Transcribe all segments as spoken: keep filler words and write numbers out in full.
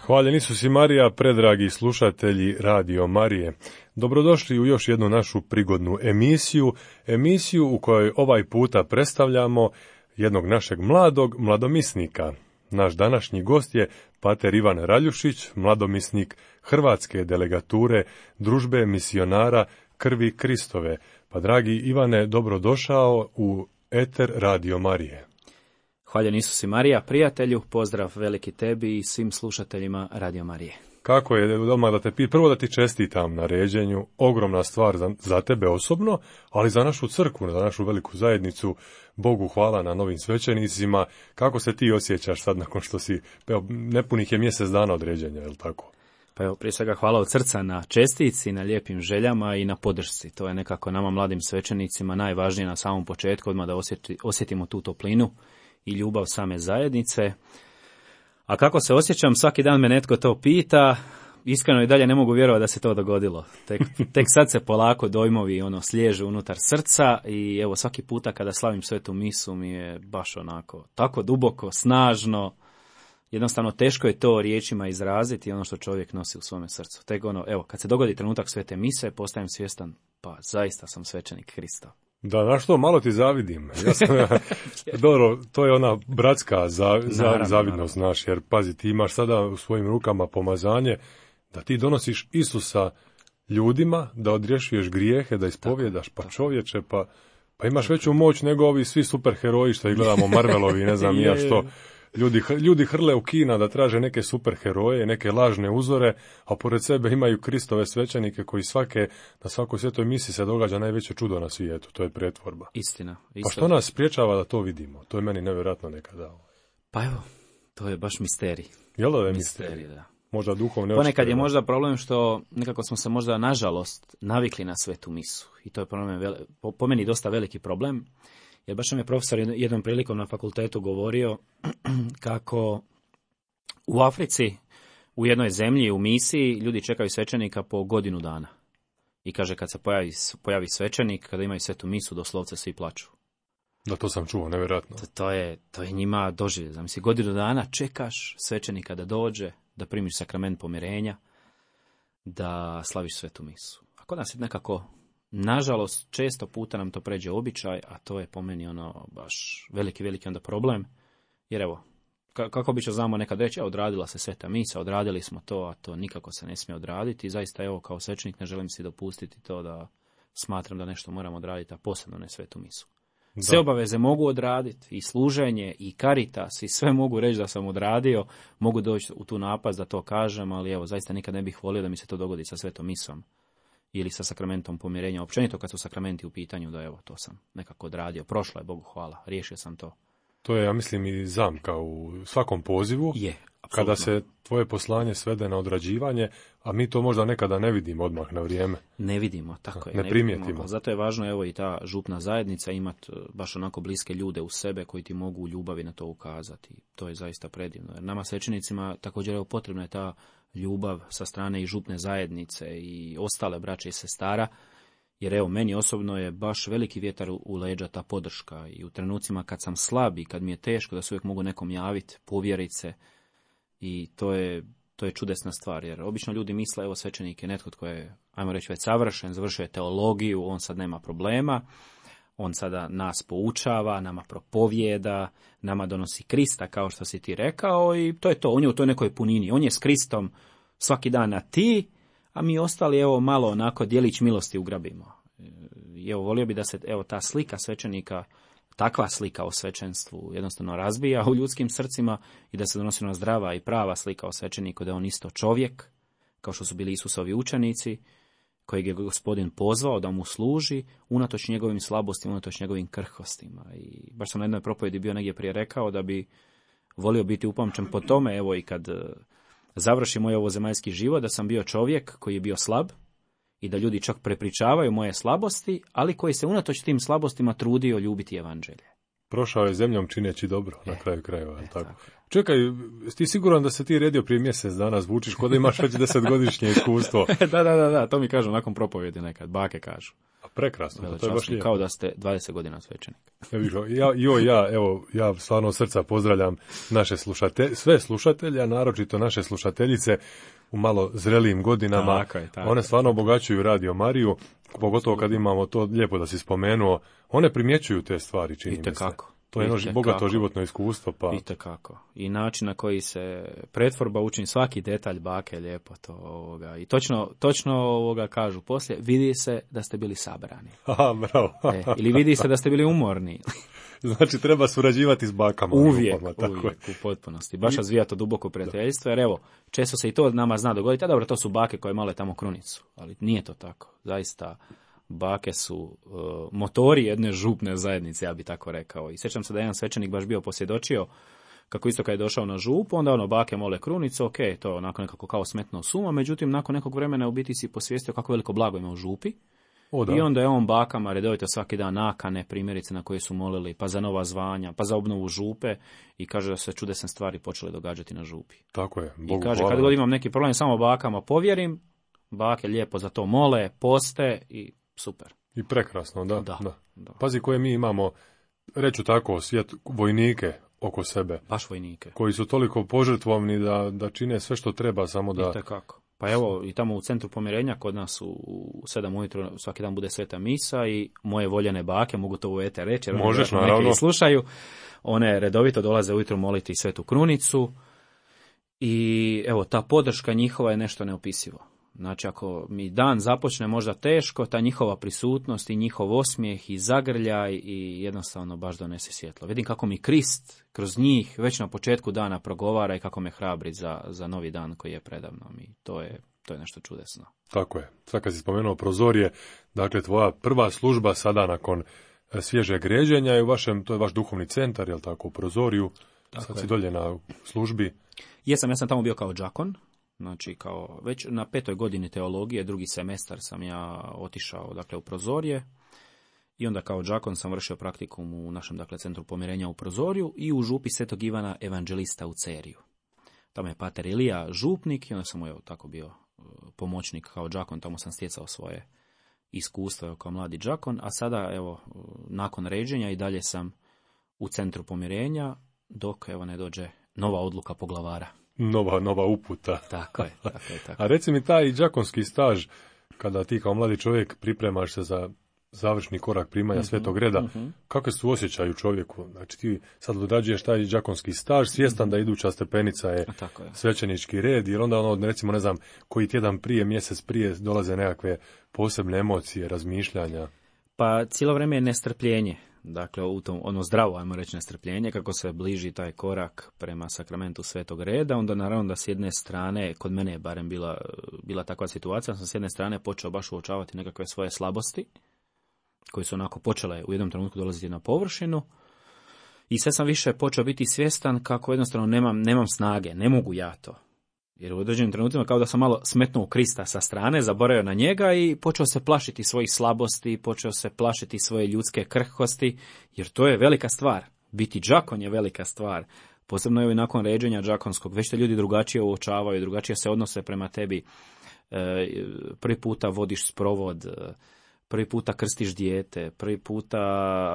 Hvaljen Isus i Marija, predragi slušatelji Radio Marije. Dobrodošli u još jednu našu prigodnu emisiju, emisiju u kojoj ovaj puta predstavljamo jednog našeg mladog mladomisnika. Naš današnji gost je pater Ivan Raljušić, mladomisnik Hrvatske delegature Družbe misionara Krvi Kristove. Pa dragi Ivane, dobrodošao u eter Radio Marije. Hvaljen Isus i Marija, prijatelju, pozdrav veliki tebi i svim slušateljima Radio Marije. Kako je doma da te pi... Prvo da ti čestitam na ređenju, ogromna stvar za, za tebe osobno, ali za našu crkvu, za našu veliku zajednicu. Bogu hvala na novim svećenicima. Kako se ti osjećaš sad nakon što si, evo, nepunih je mjesec dana od ređenja, je li tako? Pa evo, prije svega hvala od srca na čestici, na lijepim željama i na podršci. To je nekako nama mladim svećenicima najvažnije na samom početku, odmah da osjeti, osjetimo tu toplinu i ljubav same zajednice. A kako se osjećam, svaki dan me netko to pita, iskreno i dalje ne mogu vjerovati da se to dogodilo. Tek, tek sad se polako dojmovi ono sliježu unutar srca i evo svaki puta kada slavim svetu misu mi je baš onako tako duboko, snažno, jednostavno teško je to riječima izraziti ono što čovjek nosi u svome srcu. Tek ono, evo, kad se dogodi trenutak svete mise, postajem svjestan, pa zaista sam svećenik Krista. Da, na što malo ti zavidim. Ja sam, dobro, to je ona bratska za, za, naravno, zavidnost, naravno. Naš, jer pazi, ti imaš sada u svojim rukama pomazanje da ti donosiš Isusa ljudima, da odrješuješ grijehe, da ispovjedaš, pa čovječe, pa, pa imaš veću moć nego ovi svi superheroji što ih gledamo, Marvelovi, ne znam ja što. Ljudi, ljudi hrle u kina da traže neke superheroje, neke lažne uzore, a pored sebe imaju Kristove svećenike koji svake, na svakoj svetoj misi se događa najveće čudo na svijetu, to je pretvorba. Istina. Istina. Pa što nas spriječava da to vidimo? To je meni nevjerojatno nekada. Pa evo, to je baš misterij. Jel da je misterij? misterij? Da. Možda duhovne očite. Ponekad je možda problem što nekako smo se možda nažalost navikli na svetu misu. I to je problem, po, po meni dosta veliki problem. Jer baš nam je profesor jednom prilikom na fakultetu govorio kako u Africi, u jednoj zemlji, u misiji, ljudi čekaju svećenika po godinu dana. I kaže, kad se pojavi, pojavi svećenik, kada imaju svetu misu, doslovce svi plaču. Da, to sam čuo, nevjerojatno. To, to, je, to je njima doživlje. Zamisli, godinu dana čekaš svećenika da dođe, da primiš sakrament pomirenja, da slaviš svetu misu. A kod nas je nekako... Nažalost, često puta nam to pređe običaj, a to je po meni ono baš veliki, veliki onda problem. Jer evo, kako bi će znamo nekad reći, odradila se sveta misa, odradili smo to, a to nikako se ne smije odraditi. I zaista evo, kao svećenik ne želim si dopustiti to da smatram da nešto moram odraditi, a posebno ne svetu misu. Da. Sve obaveze mogu odraditi, i služenje, i karitas, i sve mogu reći da sam odradio, mogu doći u tu napast da to kažem, ali evo, zaista nikad ne bih volio da mi se to dogodi sa svetom misom. ili sa sakramentom pomirenja, općenito kad su sakramenti u pitanju, da evo, to sam nekako odradio. Prošlo je, Bogu hvala, riješio sam to. To je, ja mislim, i zamka u svakom pozivu. Je, apsolutno. Kada se tvoje poslanje svede na odrađivanje, a mi to možda nekada ne vidimo odmah na vrijeme. Ne vidimo, tako je. Ne, ne primijetimo. Vidimo. Zato je važno, evo, i ta župna zajednica imati baš onako bliske ljude u sebe koji ti mogu u ljubavi na to ukazati. To je zaista predivno. Jer nama svećenicima također evo potrebna je ta ljubav sa strane i župne zajednice i ostale braće i sestara. Jer evo, meni osobno je baš veliki vjetar u leđa ta podrška i u trenucima kad sam slab i kad mi je teško da se uvijek mogu nekom javiti, povjerit se i to je, to je čudesna stvar. Jer obično ljudi misle, evo svećenik je netko tko je, ajmo reći, već savršen, završio je teologiju, on sad nema problema, on sada nas poučava, nama propovijeda, nama donosi Krista, kao što si ti rekao, i to je to, on je u toj nekoj punini, on je s Kristom svaki dan na ti, a mi ostali, evo, malo onako djelić milosti ugrabimo. I evo, volio bi da se, evo, ta slika svećenika, takva slika o svećenstvu jednostavno razbija u ljudskim srcima i da se donosi ona zdrava i prava slika o svećeniku, da je on isto čovjek, kao što su bili Isusovi učenici, kojeg je Gospodin pozvao da mu služi, unatoč njegovim slabostima, unatoč njegovim krhkostima. I baš sam na jednoj propovjedi bio negdje prije rekao da bi volio biti upamćen po tome, evo, i kad završi moj ovozemaljski život, da sam bio čovjek koji je bio slab i da ljudi čak prepričavaju moje slabosti, ali koji se unatoč tim slabostima trudio ljubiti evanđelje. Prošao je zemljom čineći dobro, e, na kraju krajeva. E, tako. tako. Čekaj, ti siguran da se ti redio prije mjesec dana, zvučiš kod da imaš već desetgodišnje iskustvo? da, da, da, da, to mi kažu nakon propovjedi nekad, bake kažu. A prekrasno, to je baš lijepo. Kao da ste dvadeset godina svećenik. Ja, jo, ja, evo, ja stvarno od srca pozdravljam naše slušatelje, sve slušatelje, a naročito naše slušateljice u malo zrelijim godinama. Tako je, tako one stvarno obogaćuju Radio Mariju, pogotovo kad imamo to, lijepo da si spomenuo, one primjećuju te stvari, čini mi se. Itekako. To je jedno bogato životno iskustvo. Pa... Itekako. I način na koji se pretvorba učini, svaki detalj bake, lijepo to ovoga. I točno, točno ovoga kažu poslije, vidi se da ste bili sabrani. Aha, bravo. E, ili vidi se da ste bili umorni. Znači treba surađivati s bakama. Uvijek, upama, tako uvijek, u potpunosti. Baš razvija to duboko prijateljstvo, jer evo, često se i to nama zna dogoditi, a dobro, to su bake koje male tamo krunicu, ali nije to tako. Zaista, bake su uh, motori jedne župne zajednice, ja bi tako rekao. I sjećam se da jedan svećenik baš bio posvjedočio kako isto kad je došao na župu, onda ono bake mole krunicu, ok, to onako nekako kao smetno suma, međutim nakon nekog vremena u biti si posvijestio kako veliko blago ima u župi. O, da. I onda je on bakama redovito svaki dan nakane, primjerice na koje su molili, pa za nova zvanja, pa za obnovu župe, i kaže da se čudesne stvari počele događati na župi. Tako je. Bogu I kaže, hvala. kad god imam neki problem, samo bakama povjerim, bake lijepo za to mole, poste i super. I prekrasno, da. Da, da. da. Pazi koje mi imamo, reću tako, svijet vojnike oko sebe. Baš vojnike. Koji su toliko požrtvovni da, da čine sve što treba, samo da... Itekako. Pa evo, i tamo u centru pomirenja kod nas u sedam ujutro svaki dan bude sveta misa i moje voljene bake, mogu to u eter reći, jer možeš, neki naravno. slušaju, one redovito dolaze ujutro moliti svetu krunicu i evo, ta podrška njihova je nešto neopisivo. Znači, ako mi dan započne možda teško, ta njihova prisutnost i njihov osmijeh i zagrljaj i jednostavno baš donese svjetlo. Vidim kako mi Krist kroz njih već na početku dana progovara i kako me hrabri za, za novi dan koji je predavnom. I to je, to je nešto čudesno. Tako je. Sad kad si spomenuo prozorje, dakle, tvoja prva služba sada nakon svježeg ređenja je u vašem, to je vaš duhovni centar, jel tako, u prozoriju. Tako Sad je. Si dolje na službi. Jesam, ja sam tamo bio kao džakon. Znači, kao već na petoj godini teologije, drugi semestar sam ja otišao, dakle, u prozorje i onda kao džakon sam vršio praktikum u našem, dakle, centru pomirenja u prozorju i u župi Svetog Ivana Evanđelista u Ceriju. Tamo je pater Ilija župnik i onda sam, evo, tako bio pomoćnik kao džakon, tamo sam stjecao svoje iskustvo kao mladi džakon, a sada, evo, nakon ređenja i dalje sam u centru pomirenja, dok, evo, ne dođe nova odluka poglavara. Nova, nova uputa. Tako je, tako je, tako. A reci mi, taj džakonski staž, kada ti kao mladi čovjek pripremaš se za završni korak primanja uh-huh, svetog reda, uh-huh. kakve su osjećaju čovjeku? Znači ti sad odrađuješ taj džakonski staž, svjestan uh-huh. da iduća stepenica je, je svećenički red, jer onda ono, recimo, ne znam, koji tjedan prije, mjesec prije dolaze nekakve posebne emocije, razmišljanja. Pa cijelo vrijeme je nestrpljenje. Dakle, u tom, ono zdravo, ajmo reći, nestrpljenje, kako se bliži taj korak prema sakramentu Svetog Reda, onda naravno da s jedne strane, kod mene je barem bila, bila takva situacija, sam s jedne strane počeo baš uočavati nekakve svoje slabosti, koje su onako počele u jednom trenutku dolaziti na površinu, i sve sam više počeo biti svjestan kako jednostavno nemam, nemam snage, ne mogu ja to. Jer u određenim trenutima kao da sam malo smetnuo Krista sa strane, zaboravio na njega i počeo se plašiti svojih slabosti, počeo se plašiti svoje ljudske krhkosti, jer to je velika stvar. Biti đakon je velika stvar. Posebno je i nakon ređenja đakonskog, već te ljudi drugačije uočavaju, drugačije se odnose prema tebi. E, prvi puta vodiš sprovod, prvi puta krstiš dijete, prvi puta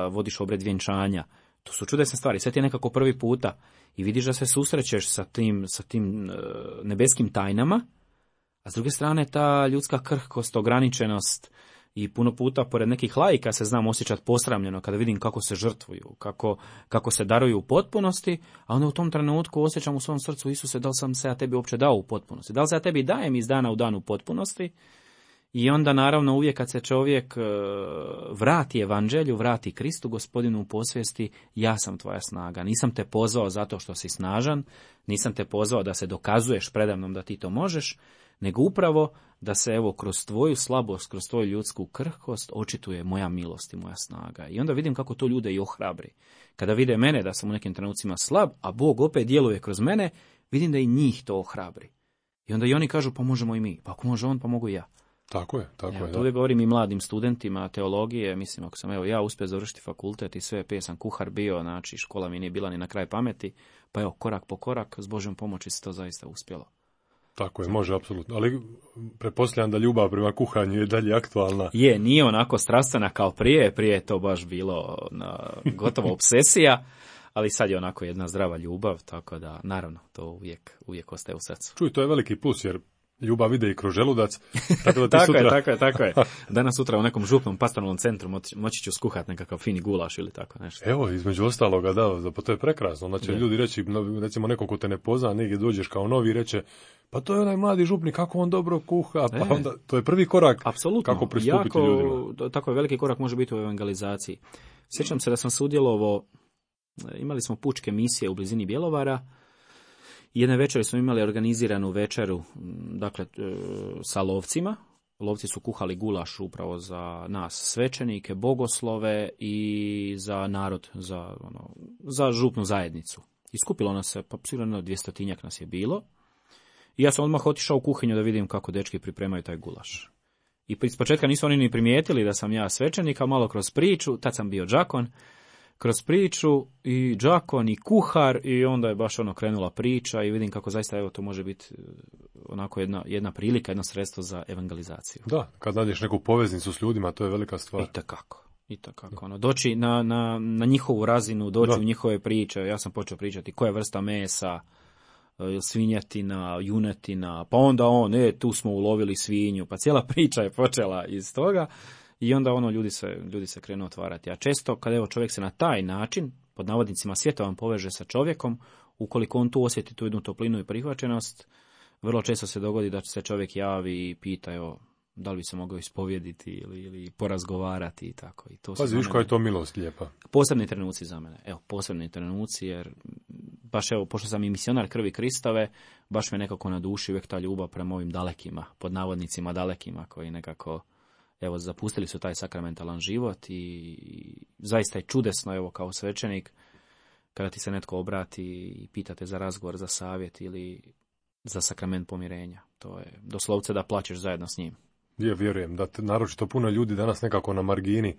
vodiš obred vjenčanja. To su čudesne stvari, sve ti je nekako prvi puta i vidiš da se susrećeš sa tim, sa tim e, nebeskim tajnama, a s druge strane ta ljudska krhkost, ograničenost i puno puta pored nekih laika se znam osjećati posramljeno kada vidim kako se žrtvuju, kako, kako se daruju u potpunosti, a onda u tom trenutku osjećam u svom srcu, Isuse, da li sam se ja tebi uopće dao u potpunosti, da li se ja tebi dajem iz dana u dan u potpunosti. I onda naravno uvijek kad se čovjek vrati evanđelju, vrati Kristu, Gospodinu u posvijesti, ja sam tvoja snaga. Nisam te pozvao zato što si snažan, nisam te pozvao da se dokazuješ predamnom da ti to možeš, nego upravo da se evo kroz tvoju slabost, kroz tvoju ljudsku krhkost očituje moja milost i moja snaga. I onda vidim kako to ljude i ohrabri. Kada vide mene da sam u nekim trenucima slab, a Bog opet djeluje kroz mene, vidim da i njih to ohrabri. I onda i oni kažu, pa možemo i mi. Pa ako može on, pa mogu i ja. Tako je, tako ja, je. To uvijek govorim i mladim studentima teologije, mislim, ako sam evo ja uspio završiti fakultet i sve, prije sam kuhar bio, znači škola mi nije bila ni na kraj pameti, pa evo, korak po korak, s Božjom pomoći se to zaista uspjelo. Tako je, može, apsolutno. Ali pretpostavljam da ljubav prema kuhanju je dalje aktualna. Je, nije onako strastvena kao prije, prije je to baš bilo na, gotovo obsesija, ali sad je onako jedna zdrava ljubav, tako da, naravno, to uvijek, uvijek ostaje u srcu. Čuj, to je veliki plus, jer ljubav ide i kroz želudac. Tako, da ti tako sutra... je, tako je, tako je. Danas sutra u nekom župnom pastoral centru moći, moći ću skuhati nekakav fini gulaš ili tako nešto. Evo, između ostaloga, da, pa to je prekrasno. Onda će je. ljudi reći, recimo neko ko te ne pozna, negdje dođeš kao novi i reće, pa to je onaj mladi župnik, kako on dobro kuha, pa e. onda, to je prvi korak. Apsolutno. Kako pristupiti jako, ljudima. Tako je, veliki korak može biti u evangelizaciji. Sjećam se da sam sudjelovao, imali smo pučke misije u blizini Bjelovara. Jedne večeri smo imali organiziranu večeru, dakle, sa lovcima. Lovci su kuhali gulaš upravo za nas, svećenike, bogoslove i za narod, za, ono, za župnu zajednicu. I skupilo nas se, pa sigurno dvjestotinjak nas je bilo. I ja sam odmah otišao u kuhinju da vidim kako dečki pripremaju taj gulaš. I iz početka nisu oni ni primijetili da sam ja svećenik, a malo kroz priču, tad sam bio đakon, kroz priču i đakon i kuhar i onda je baš ono krenula priča i vidim kako zaista evo to može biti onako jedna, jedna prilika, jedno sredstvo za evangelizaciju. Da, kad nađeš neku poveznicu s ljudima, to je velika stvar. I takako, i takako. Ono, doći na, na, na njihovu razinu, doći da. u njihove priče. Ja sam počeo pričati koja vrsta mesa, svinjetina, junetina, pa onda on, e, tu smo ulovili svinju, pa cijela priča je počela iz toga. I onda ono ljudi se, ljudi se krenu otvarati. A često kada evo čovjek se na taj način, pod navodnicima svjetovan, poveže sa čovjekom, ukoliko on tu osjeti tu jednu toplinu i prihvaćenost, vrlo često se dogodi da se čovjek javi i pita, evo, da li bi se mogao ispovjediti ili, ili porazgovarati i tako. I to Pazi, viš koja je to milost lijepa. Posebni trenuci za mene. Evo, posebni trenuci, jer baš evo, pošto sam i misionar krvi Kristove, baš me nekako na duši uvijek ta ljubav prema ovim dalekima, pod navodnicima dalekima, koji nekako evo, zapustili su taj sakramentalan život i zaista je čudesno, evo, kao svećenik, kada ti se netko obrati i pitate za razgovor, za savjet ili za sakrament pomirenja. To je doslovce da plačeš zajedno s njim. Ja vjerujem da te, naročito puno ljudi danas nekako na margini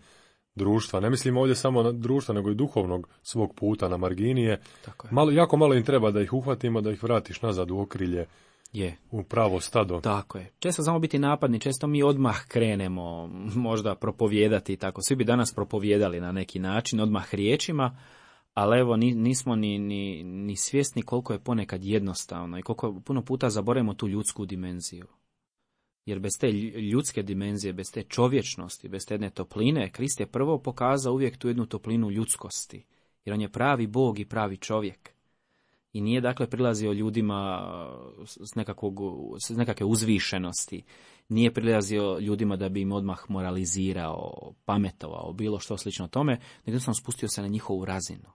društva, ne mislim ovdje samo na društva, nego i duhovnog svog puta na margini je. Tako je. Malo, jako malo im treba da ih uhvatimo, da ih vratiš nazad u okrilje. Je. U pravo stado. Tako je. Često samo biti napadni, često mi odmah krenemo možda propovijedati i tako. Svi bi danas propovijedali na neki način, odmah riječima, ali evo nismo ni, ni, ni svjesni koliko je ponekad jednostavno i koliko puno puta zaboravimo tu ljudsku dimenziju. Jer bez te ljudske dimenzije, bez te čovječnosti, bez te jedne topline, Krist je prvo pokazao uvijek tu jednu toplinu ljudskosti. Jer on je pravi Bog i pravi čovjek. I nije dakle prilazio ljudima s, nekakvog, s nekakve uzvišenosti, nije prilazio ljudima da bi im odmah moralizirao, pametovao, bilo što slično tome, nego sam spustio se na njihovu razinu.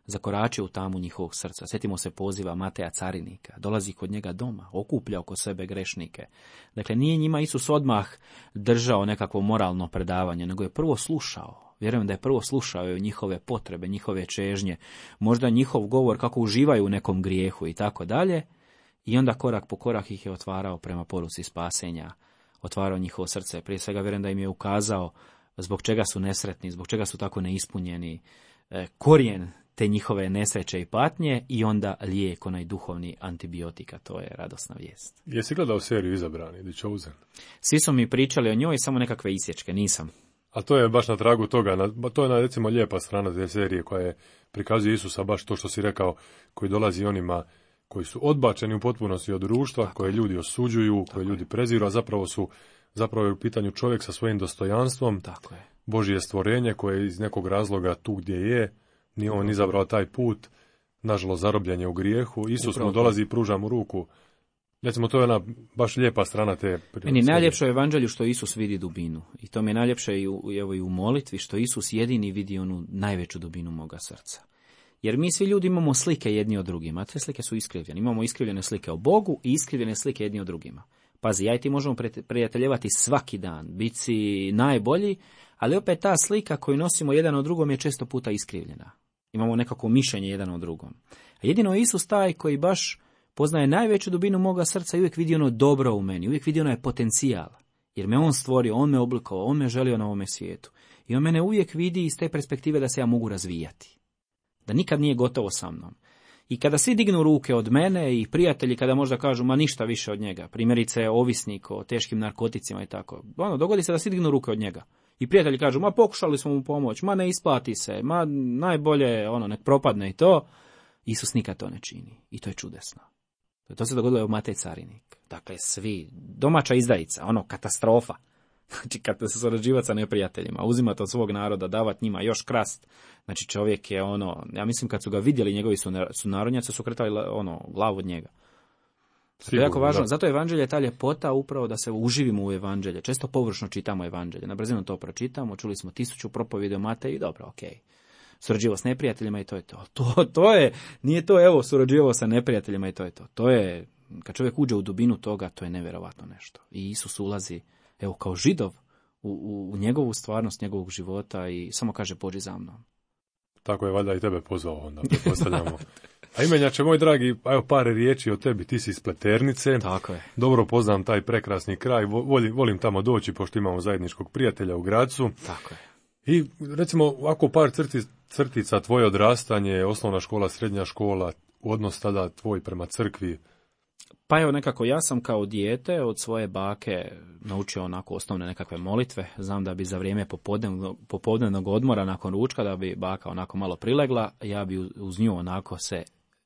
Zakoračio u tamu njihovog srca. Sjetimo se poziva Mateja carinika. Dolazi kod njega doma, okuplja oko sebe grešnike. Dakle, nije njima Isus odmah držao nekakvo moralno predavanje, nego je prvo slušao. Vjerujem da je prvo slušao njihove potrebe, njihove čežnje, možda njihov govor kako uživaju u nekom grijehu i tako dalje. I onda korak po korak ih je otvarao prema poruci spasenja, otvarao njihovo srce. Prije svega vjerujem da im je ukazao zbog čega su nesretni, zbog čega su tako neispunjeni, korijen te njihove nesreće i patnje i onda lijek, onaj duhovni antibiotika. To je radosna vijest. Jesi gledao seriju Izabrani, The Chosen? Svi su mi pričali o njoj, samo nekakve isječke, nisam. A to je baš na tragu toga, na, to je na, recimo lijepa strana te serije koja je prikazuje Isusa, baš to što si rekao, koji dolazi onima koji su odbačeni u potpunosti od društva, tako koje ljudi osuđuju, koje ljudi preziru, a zapravo su zapravo je u pitanju čovjek sa svojim dostojanstvom, tako je. Božje stvorenje koje je iz nekog razloga tu gdje je, nije on izabrao taj put, nažalost zarobljen je u grijehu, Isus Upravo mu dolazi i pruža mu ruku. Recimo, to je ona baš lijepa strana te... Meni najljepše u evanđelju što Isus vidi dubinu. I to mi je najljepše i u, evo, i u molitvi, što Isus jedini vidi onu najveću dubinu moga srca. Jer mi svi ljudi imamo slike jedni od drugima, a te slike su iskrivljene. Imamo iskrivljene slike o Bogu i iskrivljene slike jedni od drugima. Pazi, ja i ti možemo prijateljevati svaki dan, biti si najbolji, ali opet ta slika koju nosimo jedan od drugom je često puta iskrivljena. Imamo nekako mišljenje jedan od drugom. A jedino je Isus taj koji baš poznaje najveću dubinu moga srca i uvijek vidi ono dobro u meni, uvijek vidi onaj potencijal. Jer me on stvorio, on me oblikovao, on me želio na ovome svijetu. I on mene uvijek vidi iz te perspektive da se ja mogu razvijati. Da nikad nije gotovo sa mnom. I kada svi dignu ruke od mene i prijatelji kada možda kažu ma ništa više od njega, primjerice ovisnik o teškim narkoticima i tako, ono, dogodi se da svi dignu ruke od njega. I prijatelji kažu ma pokušali smo mu pomoći, ma ne isplati se, ma najbolje ono nek propadne i to. Isus nikad to ne čini i to je čudesno. To se dogodilo u Matej carinik. Dakle, svi, domaća izdajica, ono, katastrofa. Znači, kad se surađivati sa neprijateljima, uzimati od svog naroda, davati njima još krast. Znači, čovjek je ono, ja mislim kad su ga vidjeli njegovi sunarodnjaci, su kretali ono, glavu od njega. To je jako važno. Zato evanđelje je ta ljepota upravo da se uživimo u evanđelje. Često površno čitamo evanđelje. Na brzinu to pročitamo, čuli smo tisuću propovjedi o Mateju i dobro, okej. Okay. Surađivao s neprijateljima i to je to. To, to je, nije to evo, surađivao sa neprijateljima i to je to. To je, kad čovjek uđe u dubinu toga, to je nevjerovatno nešto. I Isus ulazi, evo, kao Židov u, u, u njegovu stvarnost, njegovog života i samo kaže pođi za mnom. Tako je valjda i tebe pozvao, onda pretpostavljamo. A imenjače, moj dragi, evo par riječi o tebi, ti si iz Pleternice. Tako je. Dobro poznam taj prekrasni kraj, volim, volim tamo doći, pošto imamo zajedničkog prijatelja u Gracu. Tako je. I recimo, ovako par crti, crtica, tvoje odrastanje, osnovna škola, srednja škola, odnos tada tvoj prema crkvi. Pa evo nekako, ja sam kao dijete od svoje bake naučio onako osnovne nekakve molitve. Znam da bi za vrijeme popodnevnog, popodnevnog odmora nakon ručka, da bi baka onako malo prilegla, ja bi uz nju onako se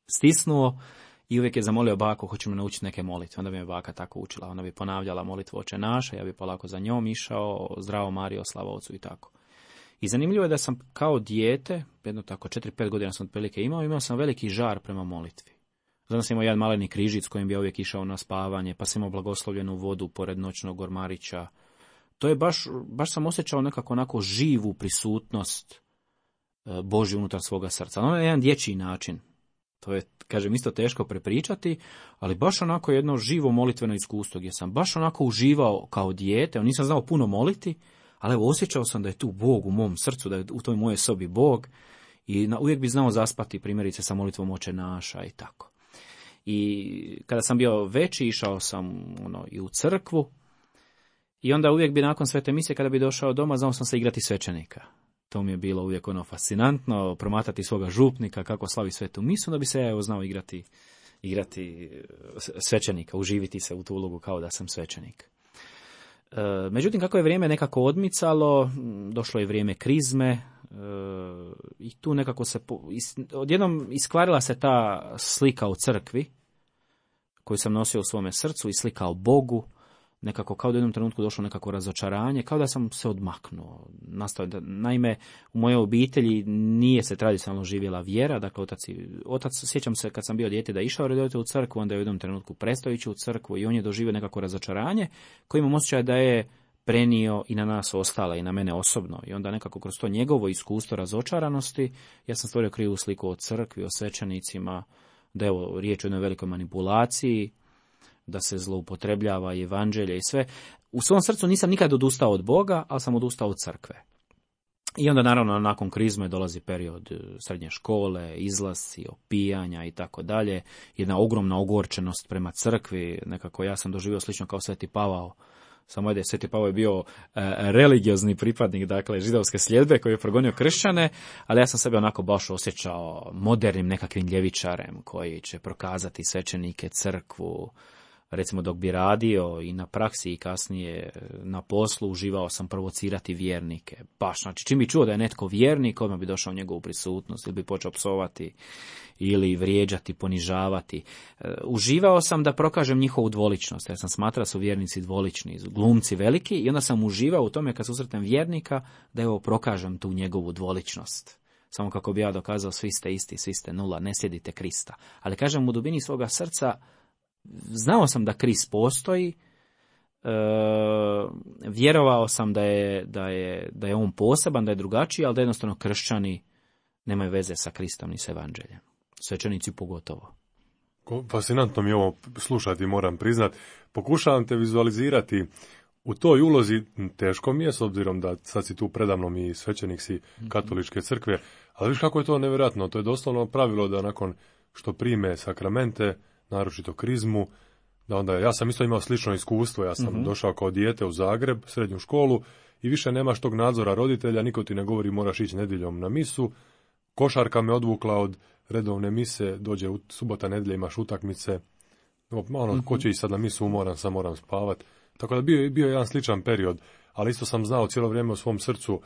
stisnuo i uvijek je zamolio baku, hoću me naučiti neke molitve. Onda bi me baka tako učila, ona bi ponavljala molitvu Oče naše, ja bi polako za njom išao, zdravo Marijo, slava Ocu i tako. I zanimljivo je da sam kao dijete, jedno tako četiri pet godina sam otprilike imao, imao sam veliki žar prema molitvi. Zato sam imao jedan maleni križic kojim bi ja uvijek išao na spavanje, pa sam imao blagoslovljenu vodu pored noćnog ormarića. To je baš, baš sam osjećao nekako onako živu prisutnost Božju unutar svoga srca. Ono je jedan dječji način. To je, kažem, isto teško prepričati, ali baš onako jedno živo molitveno iskustvo gdje sam baš onako uživao kao dijete. Nisam znao puno moliti, ali evo, osjećao sam da je tu Bog u mom srcu, da je u toj moje sobi Bog i na, uvijek bi znao zaspati, primjerice sa molitvom Oče naša i tako. I kada sam bio veći, išao sam ono, i u crkvu i onda uvijek bi nakon svete mise, kada bi došao doma, znao sam se igrati svećenika. To mi je bilo uvijek ono fascinantno, promatrati svoga župnika, kako slavi svetu misu, da bi se ja evo znao igrati, igrati svećenika, uživiti se u tu ulogu kao da sam svećenik. Međutim, kako je vrijeme nekako odmicalo, došlo je vrijeme krizme i tu nekako se, odjednom iskvarila se ta slika o crkvi koju sam nosio u svome srcu i slika o Bogu. nekako kao da u jednom trenutku došlo nekako razočaranje, kao da sam se odmaknuo. Nastao da, naime, u mojoj obitelji nije se tradicionalno živjela vjera, dakle otac, otac, sjećam se kad sam bio dijete da je išao redovito u crkvu, onda je u jednom trenutku prestao ići u crkvu i on je doživio nekako razočaranje koji imam osjećaj da je prenio i na nas ostale i na mene osobno. I onda nekako kroz to njegovo iskustvo razočaranosti ja sam stvorio krivu sliku o crkvi, o svećenicima, da je ovo riječ o jednoj velikoj manipulaciji, da se zloupotrebljava i evanđelje i sve. U svom srcu nisam nikad odustao od Boga, ali sam odustao od crkve. I onda naravno nakon krizme dolazi period srednje škole, izlasci, opijanja i tako dalje. Jedna ogromna ogorčenost prema crkvi, nekako ja sam doživio slično kao Sveti Pavao. Samo je Sveti Pavao je bio e, religiozni pripadnik, dakle, židovske sljedbe koji je progonio kršćane, ali ja sam sebe onako baš osjećao modernim nekakvim ljevičarem koji će prokazati svećenike, crkvu. Recimo dok bi radio i na praksi i kasnije na poslu uživao sam provocirati vjernike. Baš, znači čim bi čuo da je netko vjernik, odmah bi došao u njegovu prisutnost ili bi počeo psovati ili vrijeđati, ponižavati. E, uživao sam da prokažem njihovu dvoličnost, jer sam smatrao da su vjernici dvolični, glumci veliki i onda sam uživao u tome kad susretnem vjernika da evo prokažem tu njegovu dvoličnost. Samo kako bi ja dokazao svi ste isti, svi ste nula, ne slijedite Krista. Ali kažem u dubini svoga srca znao sam da Krist postoji, e, vjerovao sam da je, da, je, da je on poseban, da je drugačiji, ali da jednostavno kršćani nemaju veze sa Kristom ni sa evanđeljem. Svećenici pogotovo. Fascinantno mi je ovo slušati, moram priznat. Pokušavam te vizualizirati u toj ulozi, teško mi je, s obzirom da sad si tu predamnom i svećenik si katoličke crkve, ali viš kako je to nevjerojatno. To je doslovno pravilo da nakon što prime sakramente, naročito krizmu, da onda, ja sam isto imao slično iskustvo, ja sam mm-hmm. došao kao dijete u Zagreb, srednju školu, i više nemaš tog nadzora roditelja, niko ti ne govori moraš ići nedjeljom na misu, košarka me odvukla od redovne mise, dođe u subota, nedjelja, imaš utakmice, ono, mm-hmm. ko će ići sad na misu, moram, sam moram spavat, tako da bio, bio je jedan sličan period, ali isto sam znao cijelo vrijeme u svom srcu,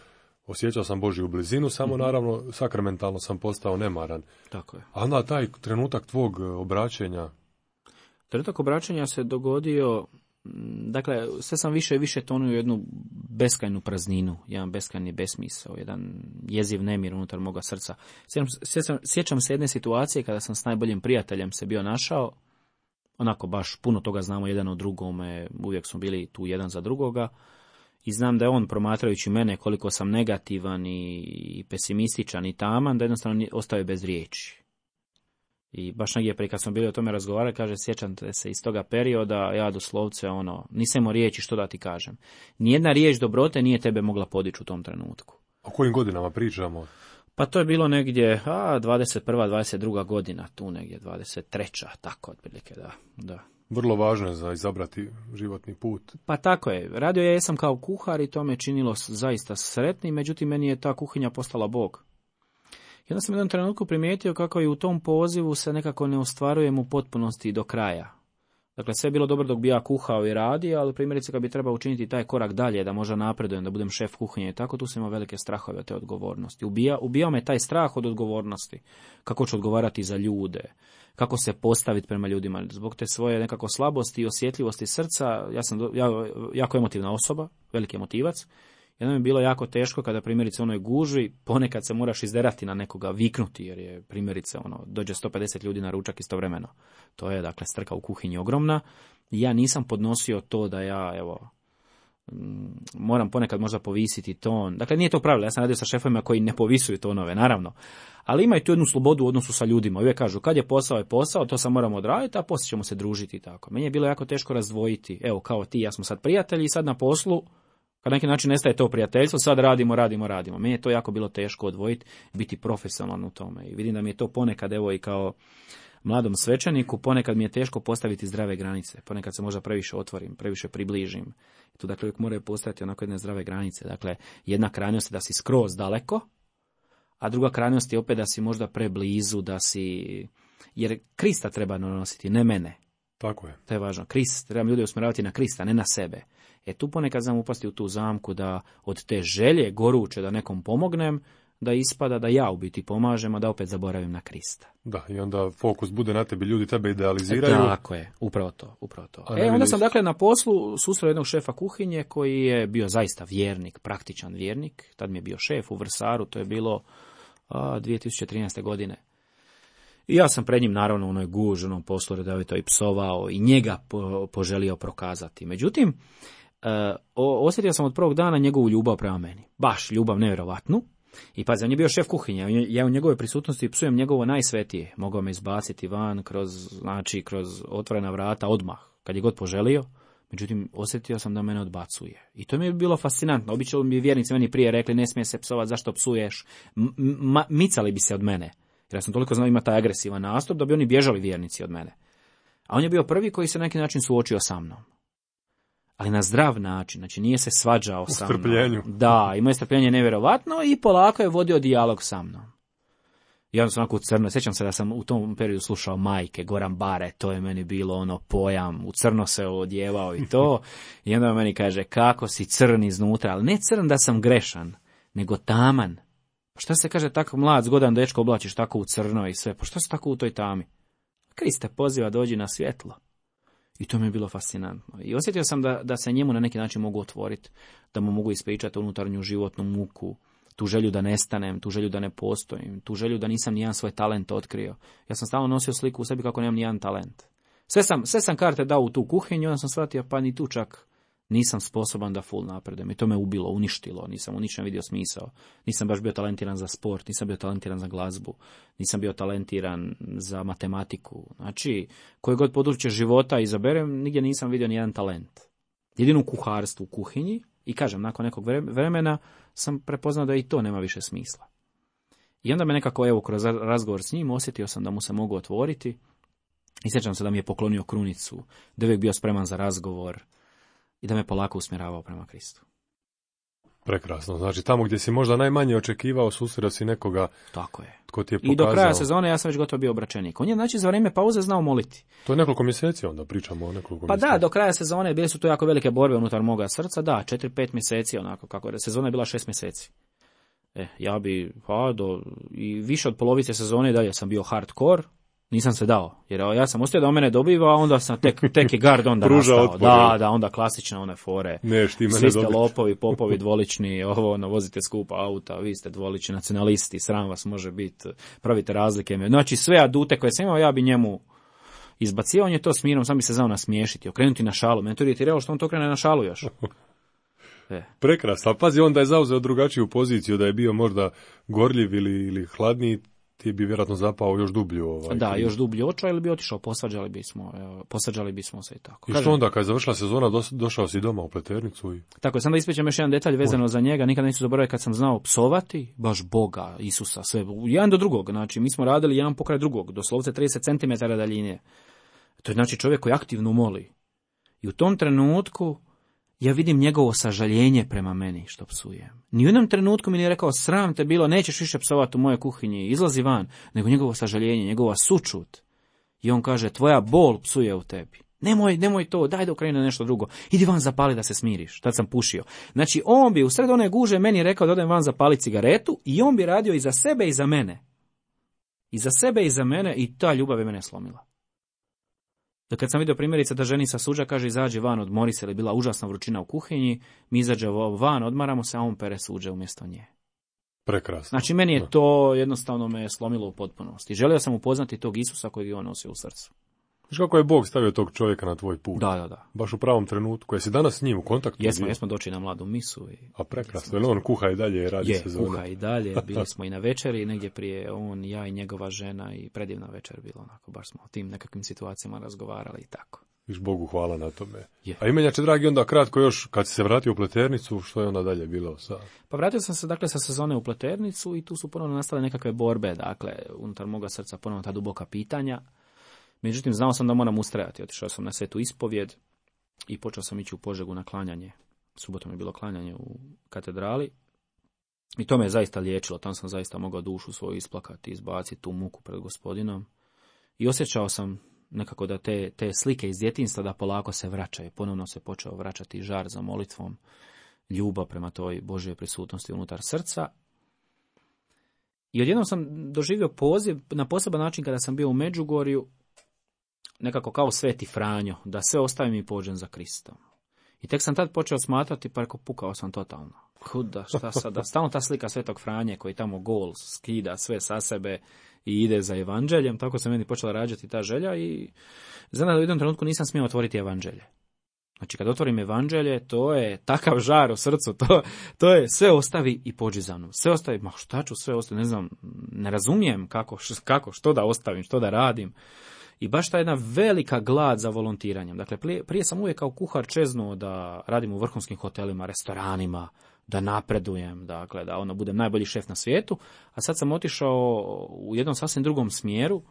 osjećao sam Božju blizinu, samo mm-hmm. naravno sakramentalno sam postao nemaran. Tako je. A onda taj trenutak tvog obraćenja? Trenutak obraćenja se dogodio, dakle, sve sam više i više tonuo u jednu beskrajnu prazninu, jedan beskrajni besmisao, jedan jeziv nemir unutar moga srca. Sjećam, sjećam se jedne situacije kada sam s najboljim prijateljem se bio našao, onako baš puno toga znamo jedan o drugome, uvijek smo bili tu jedan za drugoga, i znam da je on, promatrajući mene koliko sam negativan i pesimističan i taman, da jednostavno ostaje bez riječi. I baš negdje prije kad smo bili o tome razgovarali, kaže, sjećam se iz toga perioda, ja doslovce ono, nisam imao riječi što da ti kažem. Nijedna riječ dobrote nije tebe mogla podići u tom trenutku. O kojim godinama pričamo? Pa to je bilo negdje, a, dvadeset prva, dvadeset druga godina, tu negdje, dvadeset treća, tako otprilike, da, da. Vrlo važno je za izabrati životni put. Pa tako je. Radio ja jesam kao kuhar i to me činilo zaista sretnim, međutim meni je ta kuhinja postala Bog. I onda sam u jednom trenutku primijetio kako i u tom pozivu se nekako ne ostvarujem u potpunosti do kraja. Dakle, sve je bilo dobro dok bi ja kuhao i radio, ali primjerice kad bi trebao učiniti taj korak dalje, da možda napredujem, da budem šef kuhinje i tako, tu sam imao velike strahove od te odgovornosti. Ubija, ubijao me taj strah od odgovornosti. Kako ću odgovarati za ljude, kako se postaviti prema ljudima. Zbog te svoje nekako slabosti i osjetljivosti srca, ja sam ja, jako emotivna osoba, veliki emotivac. Jedno mi je bilo jako teško kada primjerice u onoj gužvi ponekad se moraš izderati na nekoga, viknuti, jer je primjerice ono, dođe sto pedeset ljudi na ručak istovremeno. To je dakle strka u kuhinji ogromna. I ja nisam podnosio to da ja evo moram ponekad možda povisiti ton. Dakle, nije to pravilo, ja sam radio sa šefovima koji ne povisuju tonove, naravno. Ali imaju tu jednu slobodu u odnosu sa ljudima. Uvijek kažu, kad je posao je posao, to sam moramo odraditi, a poslije ćemo se družiti i tako. Meni je bilo jako teško razdvojiti. Evo, kao ti, ja smo sad prijatelji i sad na poslu, kad na neki način nestaje to prijateljstvo, sad radimo, radimo, radimo. Meni je to jako bilo teško odvojiti, biti profesionalan u tome. I vidim da mi je to ponekad, evo i kao mladom svećeniku, ponekad mi je teško postaviti zdrave granice. Ponekad se možda previše otvorim, previše približim. I tu dakle uvijek moraju postaviti onako jedne zdrave granice. Dakle, jedna krajnost je da si skroz daleko, a druga krajnost je opet da si možda preblizu, da si... Jer Krista treba nositi, ne mene. Tako je. To je važno. Krist, trebam ljude usmjeravati na Krista, ne na sebe. E tu ponekad znam upasti u tu zamku da od te želje goruće da nekom pomognem, da ispada da ja u biti pomažem, a da opet zaboravim na Krista. Da, i onda fokus bude na tebi, ljudi tebe idealiziraju. E, tako je, upravo to, upravo to. E, onda sam dakle na poslu susreo jednog šefa kuhinje koji je bio zaista vjernik, praktičan vjernik. Tad mi je bio šef u Vrsaru, to je bilo a, dvije tisuće trinaeste. godine. I ja sam pred njim naravno u onoj guži, onom poslu redovito i psovao i njega po, poželio prokazati. Međutim, e, osjetio sam od prvog dana njegovu ljubav prema meni. Baš ljubav nevjerovatnu. I pazi, on je bio šef kuhinje, ja u njegove prisutnosti psujem njegovo najsvetije. Mogao me izbaciti van kroz, znači, kroz otvorena vrata odmah, kad je god poželio. Međutim, osjetio sam da mene odbacuje. I to mi je bilo fascinantno. Obično bi vjernici meni prije rekli, ne smije se psovati, zašto psuješ? M- m- micali bi se od mene. Jer ja sam toliko znao imati taj agresivan nastup da bi oni bježali vjernici od mene. A on je bio prvi koji se na neki način suočio sa mnom. Ali na zdrav način, znači nije se svađao sa mnom. U strpljenju. Da, imao je strpljenje nevjerovatno i polako je vodio dijalog sa mnom. I onda sam onako u crno, sjećam se da sam u tom periodu slušao Majke, Goran Bare, to je meni bilo ono pojam, u crno se odjevao i to. I onda meni kaže, kako si crn iznutra, ali ne crn da sam grešan, nego taman. Pa šta se kaže, tako mlad, zgodan dečko oblačiš tako u crno i sve, pa šta se tako u toj tami? Kriste poziva, dođi na svjetlo. I to mi je bilo fascinantno. I osjetio sam da, da se njemu na neki način mogu otvoriti, da mu mogu ispričati unutarnju životnu muku, tu želju da nestanem, tu želju da ne postojim, tu želju da nisam nijedan svoj talent otkrio. Ja sam stalno nosio sliku u sebi kako nemam nijedan talent. Sve sam, sve sam karte dao u tu kuhinju, onda sam shvatio pa ni tu čak nisam sposoban da full napredujem. I to me ubilo, uništilo, nisam u ničem vidio smisao. Nisam baš bio talentiran za sport, nisam bio talentiran za glazbu, nisam bio talentiran za matematiku. Znači, koje god područje života izaberem, nigdje nisam vidio nijedan talent. Jedino u kuharstvu, u kuhinji, i kažem, nakon nekog vremena sam prepoznao da i to nema više smisla. I onda me nekako, evo, kroz razgovor s njim osjetio sam da mu se mogu otvoriti i sjećam se da mi je poklonio krunicu, da je uvijek bio spreman za razgovor i da me polako usmjeravao prema Kristu. Prekrasno. Znači, tamo gdje si možda najmanje očekivao, susreo si nekoga. Tako je. Tko ti je pokazao. I do kraja sezone ja sam već gotovo bio obraćenik. On je, znači, za vrijeme pauze znao moliti. To je nekoliko mjeseci onda, pričamo o nekoliko pa mjeseci. Da, do kraja sezone bile su to jako velike borbe unutar moga srca, da, četiri, pet mjeseci, onako, kako je, sezona je bila šest mjeseci. E, ja bi, pa, do, i više od polovice sezone dalje sam bio hardcore, nisam se dao, jer ja sam ostio da on mene dobiva, a onda sam tek, tek je gard onda nastao. Otpor, da, da, onda klasične one fore. Ne, ti svi ste lopovi, popovi, dvolični, ovo, ono, vozite skupa auta, vi ste dvolični nacionalisti, sram vas može biti, pravite razlike. Znači, sve adute koje sam imao, ja bi njemu izbacio, on je to s mirom, sam bi se znao nasmiješiti, okrenuti na šalu. Mene to iritiralo što on to krene na šalu još. E. Prekrasno, ali pazi, onda je zauzeo drugačiju poziciju, da je bio možda gorljiv ili, ili hladniji, ti bi vjerojatno zapao još dublju. Ovaj, da, još dublju oča ili bi otišao, posvađali bismo, posađali bismo se i tako. I što onda, kad je završila sezona, do, došao si doma u Pleternicu? I... Tako je, sam da ispričam još jedan detalj vezano Oj. za njega, nikad neću zaboraviti kad sam znao psovati, baš Boga, Isusa, sve, jedan do drugog, znači mi smo radili jedan pokraj drugog, doslovce trideset centimetara daljine. To je znači čovjek koji aktivno moli. I u tom trenutku ja vidim njegovo sažaljenje prema meni što psujem. Ni u jednom trenutku mi nije rekao, sram te bilo, nećeš više psovati u mojoj kuhinji, izlazi van, nego njegovo sažaljenje, njegova sućut. I on kaže, tvoja bol psuje u tebi. Nemoj, nemoj to, daj da okrene nešto drugo. Idi van zapali da se smiriš. Tad sam pušio. Znači, on bi u sred one guže meni rekao da odem van zapali cigaretu i on bi radio i za sebe i za mene. I za sebe i za mene i ta ljubav je mene slomila. Da kad sam vidio primjerice da ženi sa suđa kaže izađi van, odmori se, ili bila užasna vrućina u kuhinji, mi izađemo van, odmaramo se, a on pere suđe umjesto nje. Prekrasno. Znači meni je to jednostavno me slomilo u potpunosti. Želio sam upoznati tog Isusa kojeg je on nosio u srcu. Znaš kako je Bog stavio tog čovjeka na tvoj put? Da, da, da. Baš u pravom trenutku. Jesi danas s njim u kontaktu? Jesmo, jesmo doći na mladu misu. I... A prekrasno, jer on kuha i dalje i radi je, sezonu. Je, kuha i dalje. Bili smo i na večeri, negdje prije on, ja i njegova žena i predivna večer bilo. Onako, baš smo o tim nekakvim situacijama razgovarali i tako. Viš Bogu hvala na tome. Je. A imenjače, dragi, onda kratko još, kad si se vratio u Pleternicu, što je onda dalje bilo? Sa... Pa vratio sam se dakle sa sezone u Pleternicu i tu su ponovno nastale nekakve borbe, dakle, unutar moga srca ponovno ta duboka pitanja. Međutim, znao sam da moram ustrajati. Otišao sam na svetu ispovjed i počeo sam ići u Požegu na klanjanje. Subotom je bilo klanjanje u katedrali. I to me je zaista liječilo. Tam sam zaista mogao dušu svoju isplakati, izbaciti tu muku pred Gospodinom. I osjećao sam nekako da te, te slike iz djetinjstva da polako se vraćaju. Ponovno se počeo vraćati žar za molitvom, ljubav prema toj Božjoj prisutnosti unutar srca. I odjednom sam doživio poziv na poseban način kada sam bio u Međugorju, nekako kao Sveti Franjo, da sve ostavim i pođem za Kristom. I tek sam tad počeo smatrati, pa rekao, pukao sam totalno. Huda, šta sada? Stalno ta slika Svetog Franje koji tamo gol skida sve sa sebe i ide za evanđeljem, tako se meni počela rađati ta želja i znam da u jednom trenutku nisam smio otvoriti evanđelje. Znači kad otvorim evanđelje, to je takav žar u srcu, to, to je sve ostavi i pođi za mnom. Sve ostavi, ma šta ću sve ostaviti, ne znam, ne razumijem kako, kako, što da ostavim, što da radim. I baš ta jedna velika glad za volontiranjem. Dakle, prije, prije sam uvijek kao kuhar čeznuo da radim u vrhunskim hotelima, restoranima, da napredujem, dakle, da ono budem najbolji šef na svijetu, a sad sam otišao u jednom sasvim drugom smjeru,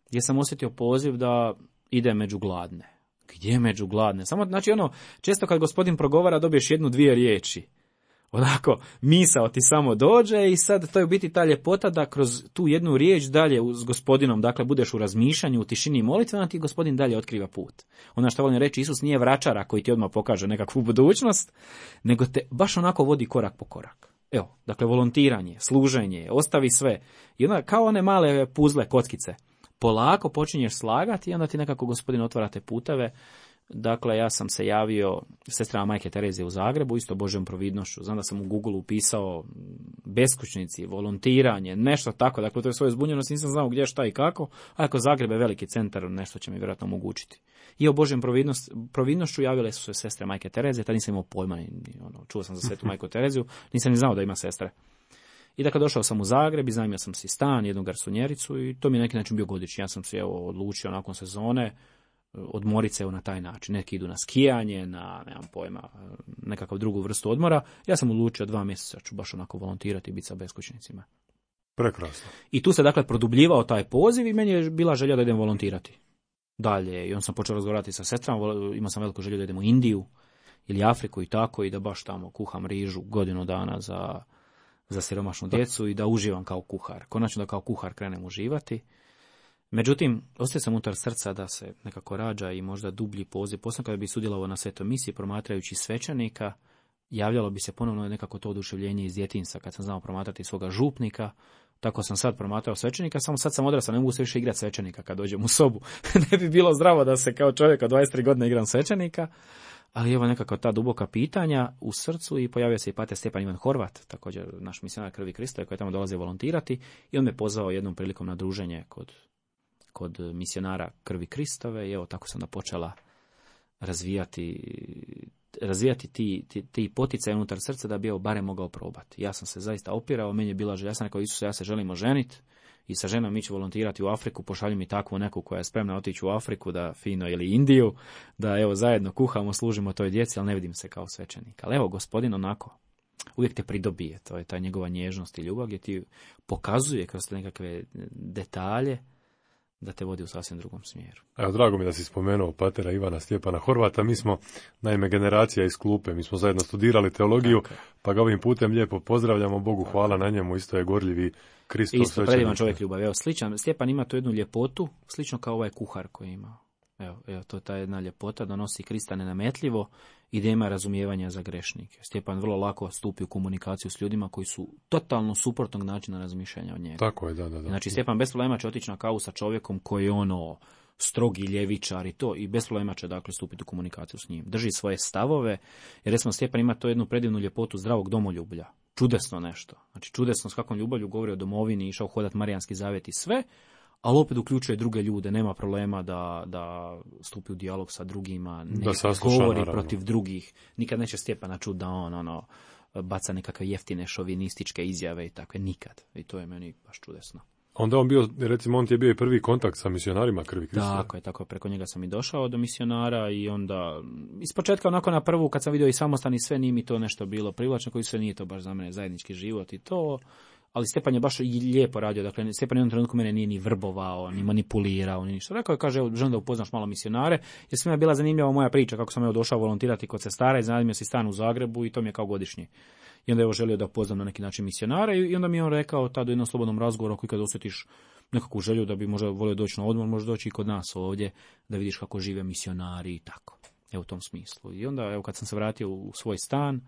gdje sam osjetio poziv da ide među gladne. Gdje među gladne? Samo, znači, ono, često kad gospodin progovara dobiješ jednu, dvije riječi. Onako, misao ti samo dođe i sad to je u biti ta ljepota da kroz tu jednu riječ dalje s gospodinom, dakle, budeš u razmišljanju, u tišini i molitvi, onda ti gospodin dalje otkriva put. Ono što volim reći, Isus nije vračara koji ti odmah pokaže nekakvu budućnost, nego te baš onako vodi korak po korak. Evo, dakle, volontiranje, služenje, ostavi sve. I onda kao one male puzle, kockice, polako počinješ slagati i onda ti nekako gospodin otvara te puteve. Dakle, ja sam se javio sestrama Majke Terezije u Zagrebu, isto Božjom providnošću. Znam da sam u Google upisao beskućnici, volontiranje, nešto tako. Dakle, to je svoje zbunjenost, nisam znao gdje, šta i kako. A ako Zagreb je veliki centar, nešto će mi vjerojatno omogućiti. I o Božjom providnošću javile su se sestre Majke Terezije, tad nisam imao pojma, ono, čuo sam za Svetu Majku Tereziju, nisam ni znao da ima sestre. I dakle, došao sam u Zagreb, iznajmio sam si stan, jednu garsonjericu i to mi je neki način bio godišnji. Ja sam se evo odlučio nakon sezone odmorit se na taj način. Neki idu na skijanje, na, nemam pojma, nekakav drugu vrstu odmora. Ja sam odlučio dva mjeseca ću baš onako volontirati i biti sa beskućnicima. Prekrasno. I tu se dakle produbljivao taj poziv i meni je bila želja da idem volontirati dalje. I on sam počeo razgovarati sa sestrama, imao sam veliku želju da idem u Indiju ili Afriku i tako i da baš tamo kuham rižu godinu dana za, za siromašnu djecu i da uživam kao kuhar. Konačno da kao kuhar krenem uživati. Međutim, ostaje sam unutar srca da se nekako rađa i možda dublji poziv. Posebno kada bi sudjelovao na svetoj misiji promatrajući svećenika, javljalo bi se ponovno nekako to oduševljenje iz djetinjstva kad sam znao promatrati svoga župnika. Tako sam sad promatrao svećenika, samo sad sam odrastao, ne mogu se više igrati svećenika kad dođem u sobu. Ne bi bilo zdravo da se kao čovjek od dvadeset tri godine igram svećenika. Ali evo nekako ta duboka pitanja u srcu i pojavio se i pater Stjepan Ivan Horvat, također naš misionar Krvi Kristove koji tamo dolazi volontirati i on me pozvao jednom prilikom na druženje kod kod misionara Krvi Kristove i evo tako sam da počela razvijati, razvijati ti, ti, ti poticaje unutar srca da bi evo barem mogao probati. Ja sam se zaista opirao, meni je bila želja, ja sam rekao Isuse, ja se želim oženiti i sa ženom mi ću volontirati u Afriku, pošalji mi takvu neku koja je spremna otići u Afriku, da fino ili Indiju, da evo zajedno kuhamo, služimo toj djeci, ali ne vidim se kao svećenik. Ali evo gospodin onako uvijek te pridobije, to je ta njegova nježnost i ljubav gdje ti pokazuje kroz nekakve detalje da te vodi u sasvim drugom smjeru. Evo, drago mi da si spomenuo patera Ivana Stjepana Horvata. Mi smo, naime, generacija iz klupe, mi smo zajedno studirali teologiju, tako, pa ga ovim putem lijepo pozdravljamo, Bogu tako, hvala na njemu, isto je gorljivi Kristov svećenik. Isto, predivan čovjek ljubav. Evo, sličan, Stjepan ima tu jednu ljepotu, slično kao ovaj kuhar koji ima. Evo, evo, to je ta jedna ljepota da nosi Krista nenametljivo i da ima razumijevanja za grešnike. Stjepan vrlo lako stupi u komunikaciju s ljudima koji su totalno suprotnog načina razmišljanja od njega. Tako je, da, da, da. Znači, Stjepan bez problema će otići na kavu sa čovjekom koji je ono strogi ljevičar i to, i bez problema će dakle stupiti u komunikaciju s njim. Drži svoje stavove, jer recimo Stjepan ima to jednu predivnu ljepotu zdravog domoljublja. Čudesno nešto. Znači, čudesno s kakvom ljubavlju govori o domovini, išao hodat Marijanski zavjet i sve, ali opet uključuje druge ljude, nema problema da, da stupi u dijalog sa drugima, ne govori naravno protiv drugih, nikad neće Stjepana čuti da on ono, baca nekakve jeftine šovinističke izjave i takve, nikad. I to je meni baš čudesno. Onda on bio, recimo, on ti je bio i prvi kontakt sa misionarima Krvi Kristove. Tako je, tako je, preko njega sam i došao do misionara i onda, ispočetka onako na prvu, kad sam vidio i samostan i sve, nije mi to nešto bilo privlačno, koji sve nije to baš za mene zajednički život i to. Ali Stjepan je baš lijepo radio, dakle Stjepan u jednom trenutku mene nije ni vrbovao, ni manipulirao, ni ništa. Rekao je, kaže, želim da upoznaš malo misionare, jer svima je bila zanimljiva moja priča, kako sam evo došao volontirati kod sestara i zanimljio si stan u Zagrebu i to mi je kao godišnji. I onda je želio da upoznam na neki način misionare i onda mi je on rekao tada u jednom slobodnom razgovoru, ako kad osjetiš nekakvu želju da bi možda volio doći na odmor, možeš doći i kod nas ovdje, da vidiš kako žive misionari i tako. Evo u tom smislu. I onda, evo kad sam se vratio u svoj stan,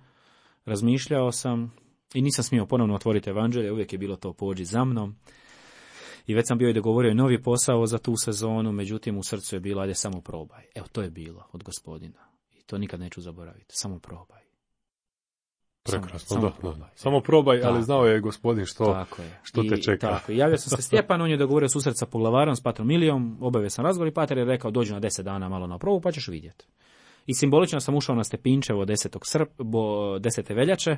razmišljao sam I nisam smio ponovno otvoriti evanđelje, uvijek je bilo to pođi za mnom. I već sam bio i dogovorio novi posao za tu sezonu, međutim u srcu je bilo, ajde samo probaj. Evo, to je bilo od Gospodina. I to nikad neću zaboraviti. Samo probaj. Prekrasno, samo, da, samo probaj. da. Samo probaj, tako, ali znao je Gospodin što, tako je. što te I, čeka. Tako, javio sam se Stjepan, on je dogovorio susret sa poglavarom, s patrom Milijom, obavio sam razgovor i pater je rekao dođi na deset dana malo na probu pa ćeš vidjeti. I simbolično sam ušao na Stepinčevo desetog desete veljače,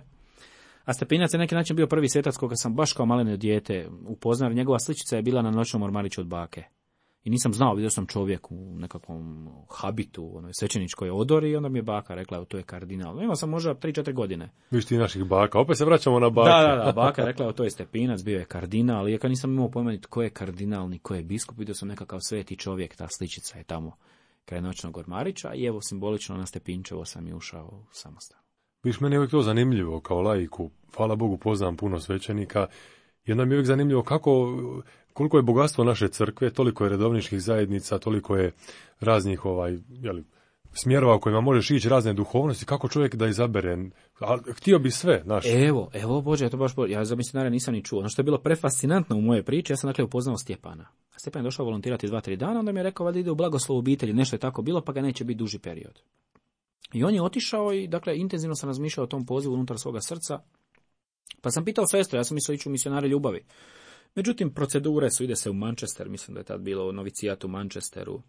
a Stepinac je na neki način bio prvi svetac koga sam baš kao maleno dijete upoznao, njegova sličica je bila na noćnom ormariću od bake. I nisam znao, vidio sam čovjek u nekakvom habitu, onoj svećeničkoj odori i onda mi je baka rekla, evo to je kardinal. Imao sam možda tri četiri godine. Viš ti naših baka, opet se vraćamo na bake. Da, da, da, baka rekla, evo to je Stepinac, bio je kardinal, i ja nisam imao pojma tko je kardinal, ni ko je biskup, vidio sam nekakav sveti čovjek, ta sličica je tamo kraj noćnog ormarića i evo simbolično na Stepinčevo sam i ušao u samostan. Viš, meni je uvijek to zanimljivo kao laiku, hvala Bogu poznam puno svećenika, i onda mi je uvijek zanimljivo kako, koliko je bogatstvo naše crkve, toliko je redovničkih zajednica, toliko je raznih ovaj, jeli, smjerova u kojima možeš ići, razne duhovnosti, kako čovjek da izabere, a htio bi sve, znaš. Evo, evo, Bože, ja to baš, ja za misionare nisam ni čuo. Ono što je bilo prefascinantno u moje priči, ja sam dakle upoznao Stjepana. A Stjepan je došao volontirati dva, tri dana, onda mi je rekao, valjda ide u blagoslov obitelji, nešto je tako bilo, pa ga neće biti duži period. I on je otišao i, dakle, intenzivno sam razmišljao o tom pozivu unutar svoga srca, pa sam pitao sestru, ja sam mislio ići u misionare ljubavi. Međutim, procedure su, ide se u Manchester, mislim da je tad bilo novicijat u Manchesteru,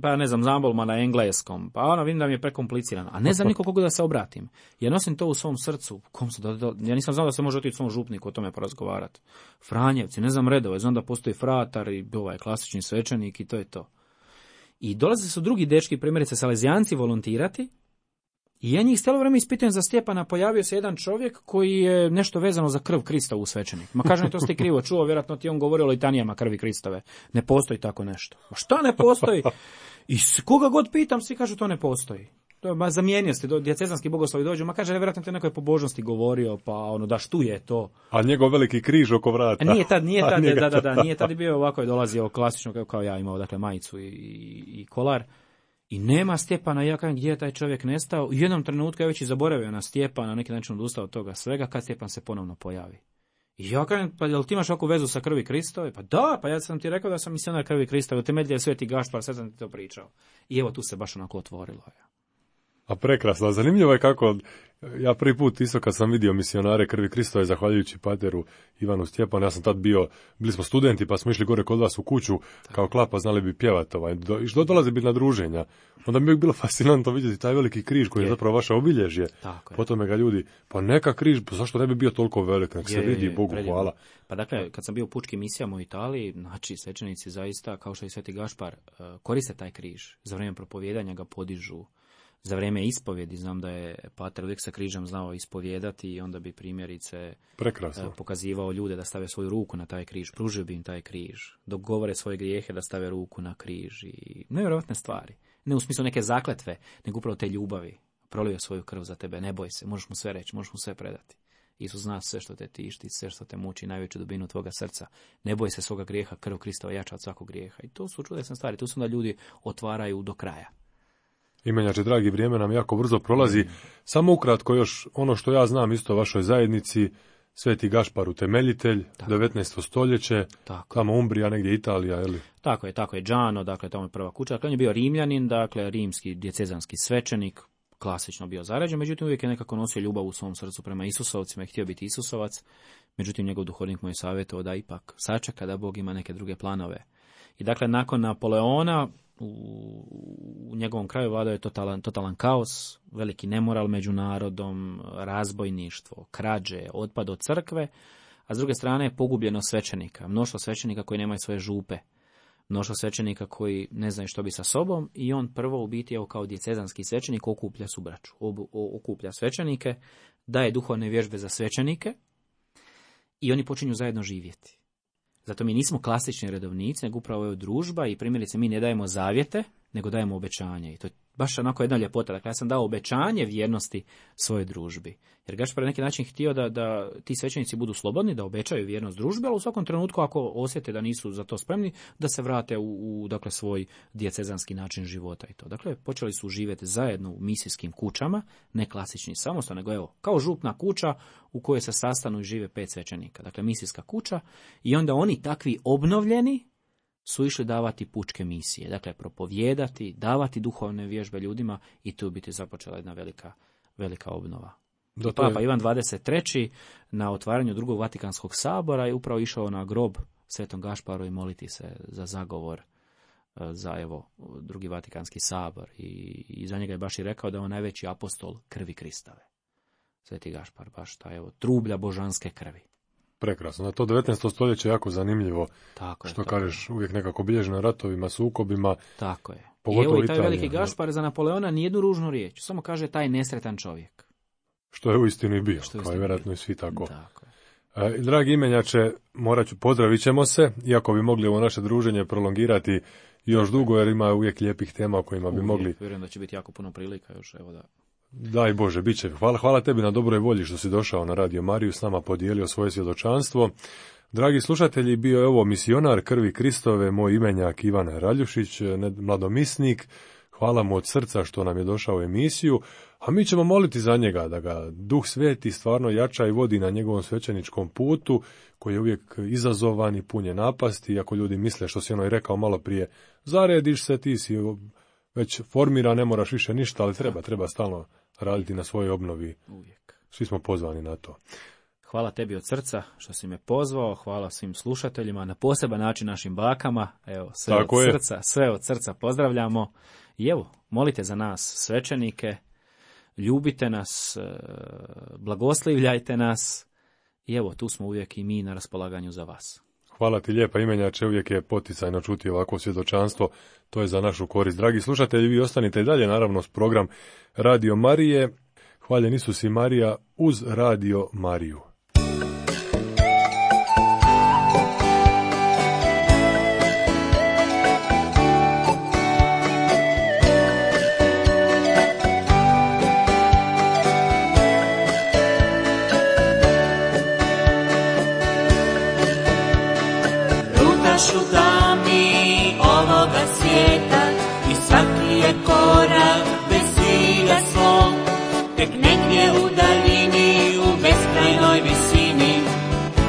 pa ne znam, zambolma na engleskom, pa ono vidim da mi je prekomplicirano, a ne znam niko koga da se obratim. Ja nosim to u svom srcu, kom se, da, da, ja nisam znao da se može otići svom župniku o tome porazgovarati. Franjevci, ne znam redove, znam da postoji fratar i ovaj klasični svećenik i to je to. I dolaze su drugi dečki, primjerice Salezijanci, volontirati, i ja njih cijelo vrijeme ispitujem za Stjepana, pojavio se jedan čovjek koji je nešto vezano za krv Kristovu svećenik. Ma kažem, to ste krivo čuo, vjerojatno ti on govorio o litanijama krvi Kristove. Ne postoji tako nešto. Ma šta ne postoji? I koga god pitam, svi kažu to ne postoji. To je, ma zamijenio ste, dijecezanski bogoslovi dođu, ma kaže, vjerojatno te nekoj pobožnosti govorio, pa ono, da što je to. A njegov veliki križ oko vrata. A nije tad, nije tad, da, da, da, nije tad bio ovako, je dolazio klasično, kao, kao ja imao, dakle, majicu i, i, i kolar. I nema Stjepana, ja kažem gdje je taj čovjek nestao. U jednom trenutku ja već i zaboravio na Stjepana, na neki način odustao od toga svega, kad Stjepan se ponovno pojavi. I ja kažem, pa jel ti imaš ovakvu vezu sa krvi Kristove? Pa da, pa ja sam ti rekao da sam misionar krvi Kristove, temelj je Sveti Gašpar, sad sam ti to pričao. I evo tu se baš onako otvorilo. Ja. A prekrasno, zanimljivo je kako, ja prvi put isto kad sam vidio misionare krvi Kristove, zahvaljujući pateru Ivanu Stjepanu, ja sam tad bio, bili smo studenti pa smo išli gore kod vas u kuću, kao klapa znali bi pjevati, ovaj, do, i što dolazi biti na druženja. Onda mi je bilo fascinantno vidjeti taj veliki križ koji je, je zapravo vaše obilježje. Potom ga ljudi, pa neka križ, pa zašto ne bi bio toliko velik, nek se vidi, Bogu predivno. Hvala. Pa dakle, kad sam bio u pučkim misijama u Italiji, znači svećenici zaista, kao što i Sveti Gašpar, koriste taj križ, za vrijeme propovijedanja ga podižu. Za vrijeme ispovjedi znam da je pater uvijek sa križem znao ispovijedati i onda bi primjerice Prekrasno. pokazivao ljude da stave svoju ruku na taj križ, pružio bi im taj križ, dok govore svoje grijehe da stave ruku na križ i nevjerojatne stvari. Ne u smislu neke zakletve, nego upravo te ljubavi. Prolio svoju krv za tebe, ne boj se, možeš mu sve reći, možeš mu sve predati. Isus zna sve što te tišti, sve što te muči, najveću dubinu tvoga srca. Ne boj se svoga grijeha, krv Kristova jača od svakog grijeha. I to su čudesne stvari, tu su da ljudi otvaraju do kraja. Imenjače, dragi, vrijeme nam jako brzo prolazi. Samo ukratko još ono što ja znam isto o vašoj zajednici, Sveti Gašpar utemeljitelj, tako. devetnaesto stoljeće, tako. Tamo Umbrija, negdje Italija, je li? Tako je, tako je, Đano, dakle, tamo je prva kuća. Dakle, on je bio Rimljanin, dakle, rimski dijecezanski svećenik, klasično bio zaređen, međutim uvijek je nekako nosio ljubav u svom srcu prema Isusovcima i htio biti Isusovac, međutim njegov duhovnik mu je savjetovao da ipak sačeka da Bog ima neke druge planove. I dakle, nakon Napoleona, u njegovom kraju vladao je totalan, totalan kaos, veliki nemoral među narodom, razbojništvo, krađe, otpad od crkve, a s druge strane pogubljeno svećenika, mnoštvo svećenika koji nemaju svoje župe, mnoštvo svećenika koji ne znaju što bi sa sobom i on prvo u biti evo kao dijecezanski svećenik okuplja subraću, okuplja svećenike, daje duhovne vježbe za svećenike i oni počinju zajedno živjeti. Zato mi nismo klasični redovnici, nego upravo je družba i primjerice mi ne dajemo zavjete, nego dajemo obećanje. I to je baš onako jedna ljepota. Dakle, ja sam dao obećanje vjernosti svojoj družbi. Jer Gašpar je na neki način htio da, da ti svećenici budu slobodni, da obećaju vjernost družbe, ali u svakom trenutku ako osjete da nisu za to spremni, da se vrate u, u dakle, svoj dijecezanski način života i to. Dakle, počeli su živjeti zajedno u misijskim kućama, ne klasični samostan, nego evo, kao župna kuća u kojoj se sastanu i žive pet svećenika. Dakle, misijska kuća i onda oni takvi obnovljeni su išli davati pučke misije, dakle propovijedati, davati duhovne vježbe ljudima i tu biti započela jedna velika, velika obnova. Da, Papa je... Ivan dvadeset treći na otvaranju drugog Vatikanskog sabora je upravo išao na grob Svetom Gašparu i moliti se za zagovor za evo drugi Vatikanski sabor i, i za njega je baš i rekao da je on najveći apostol krvi Kristove. Sveti Gašpar, baš ta evo trublja božanske krvi. Prekrasno. Na to devetnaesto stoljeće je jako zanimljivo. Tako je, što tako kažeš, uvijek nekako bilježeno ratovima, sukobima. Tako je. I evo i taj Italija, veliki Gašpar za Napoleona nijednu ružnu riječ. Samo kaže taj nesretan čovjek. Što je uistinu i bio, kao i vjerojatno i svi tako. tako je. E, dragi imenjače, morat ću, pozdravit ćemo se, iako bi mogli ovo naše druženje prolongirati još dugo, jer ima uvijek lijepih tema o kojima uvijek, bi mogli... Vjerujem da će biti jako puno prilika još, evo da... Daj Bože, bit će. Hvala, hvala tebi na dobroj volji što si došao na Radio Mariju, s nama podijelio svoje svjedočanstvo. Dragi slušatelji, bio je ovo misionar krvi Kristove, moj imenjak Ivan Raljušić, mladomisnik. Hvala mu od srca što nam je došao u emisiju, a mi ćemo moliti za njega, da ga Duh Sveti stvarno jača i vodi na njegovom svećeničkom putu, koji je uvijek izazovan i pun je napasti, iako ljudi misle, što si ono i rekao malo prije, zarediš se, ti si već formira, ne moraš više ništa, ali treba, treba stalno raditi na svojoj obnovi. Uvijek. Svi smo pozvani na to. Hvala tebi od srca što si me pozvao, hvala svim slušateljima, na poseban način našim bakama, evo, sve Tako od je. srca, sve od srca pozdravljamo. I evo, molite za nas svećenike, ljubite nas, blagoslivljajte nas i evo, tu smo uvijek i mi na raspolaganju za vas. Hvala ti lijepa imenjače, uvijek je poticajno čuti ovako svjedočanstvo, to je za našu korist. Dragi slušatelji, vi ostanite i dalje, naravno, s program Radio Marije. Hvaljen Isus i Marija uz Radio Mariju. Šutami ovoga svijeta i svaki je korak bez cilja svog, tek negdje u daljini, u beskrajnoj visini,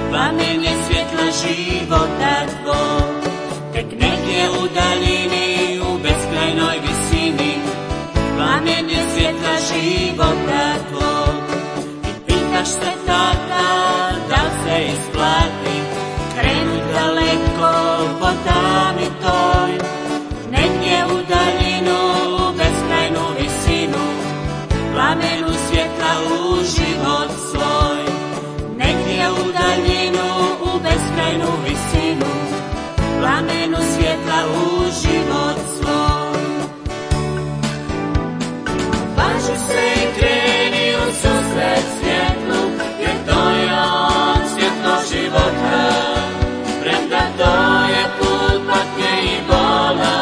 plamen je svjetla života tvog. Tek negdje u daljini, u beskrajnoj visini, plamen je svjetla života tvog. I pitaš se tada, da li se isplati krenut daleko po tami toj, negdje u daljinu, u beskrajnu visinu, plamenu svjetla u život svoj. Negdje u daljinu, u beskrajnu visinu, plamenu svjetla u život svoj. Važi se i kreni u susret svjetlu, jer to je on svjetlo života. Premda to je put patnje i bola,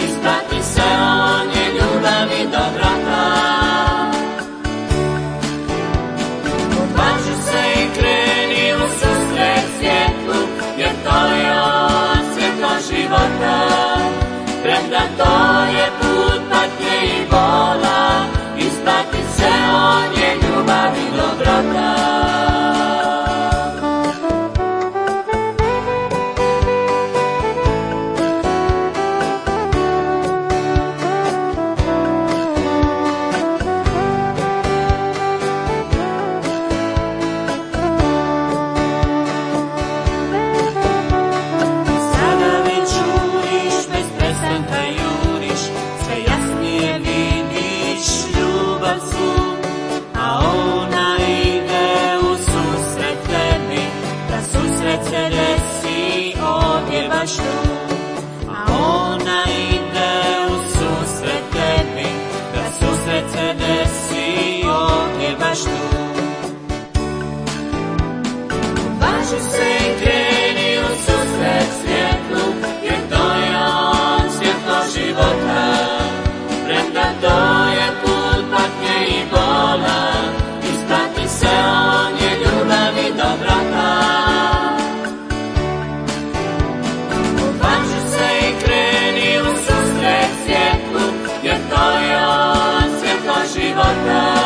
isplati se, on je ljubav i dobrota. Odvaži se i kreni u susret svjetlu, jer to je on svjetlo života. Premda to je put patnje i bola, isplati se, on je ljubav i dobrota. Važi se i kreni u susret svjetlu, jer to je on svjetlo života. života.